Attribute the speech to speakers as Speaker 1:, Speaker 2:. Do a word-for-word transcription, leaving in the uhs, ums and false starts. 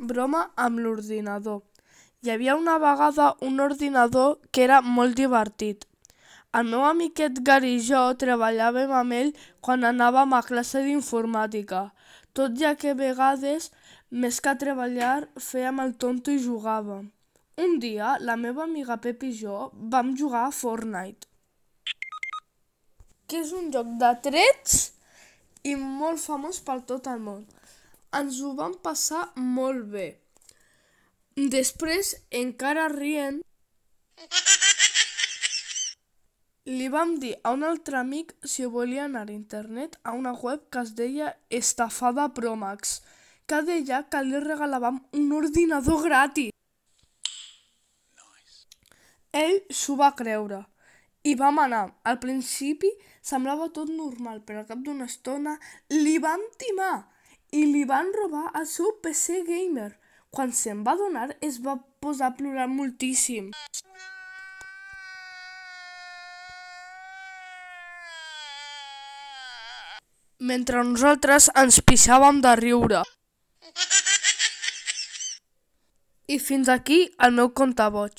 Speaker 1: broma amb l'ordinador. Hi havia una vegada un ordinador que era molt divertit. El meu amiquet Gary i jo treballàvem amb ell quan anàvem a classe d'informàtica, tot ja que a vegades, més que treballar, fèiem el tonto i jugàvem. Un dia, la meva amiga Pep i jo vam jugar a Fortnite, que és un joc de trets i molt famós per tot el món. Ens ho vam passar molt bé. Després, encara rient, li vam dir a un altre amic si volia anar a internet a una web que es deia Estafada Promax, que deia que li regalàvem un ordinador gratis. Ell s'ho va creure i vam anar. Al principi semblava tot normal, però al cap d'una estona li van timar i li van robar el seu P C gamer. Quan se'n va adonar es va posar a plorar moltíssim. Mentre nosaltres ens pixàvem de riure. I fins aquí el meu conte boig.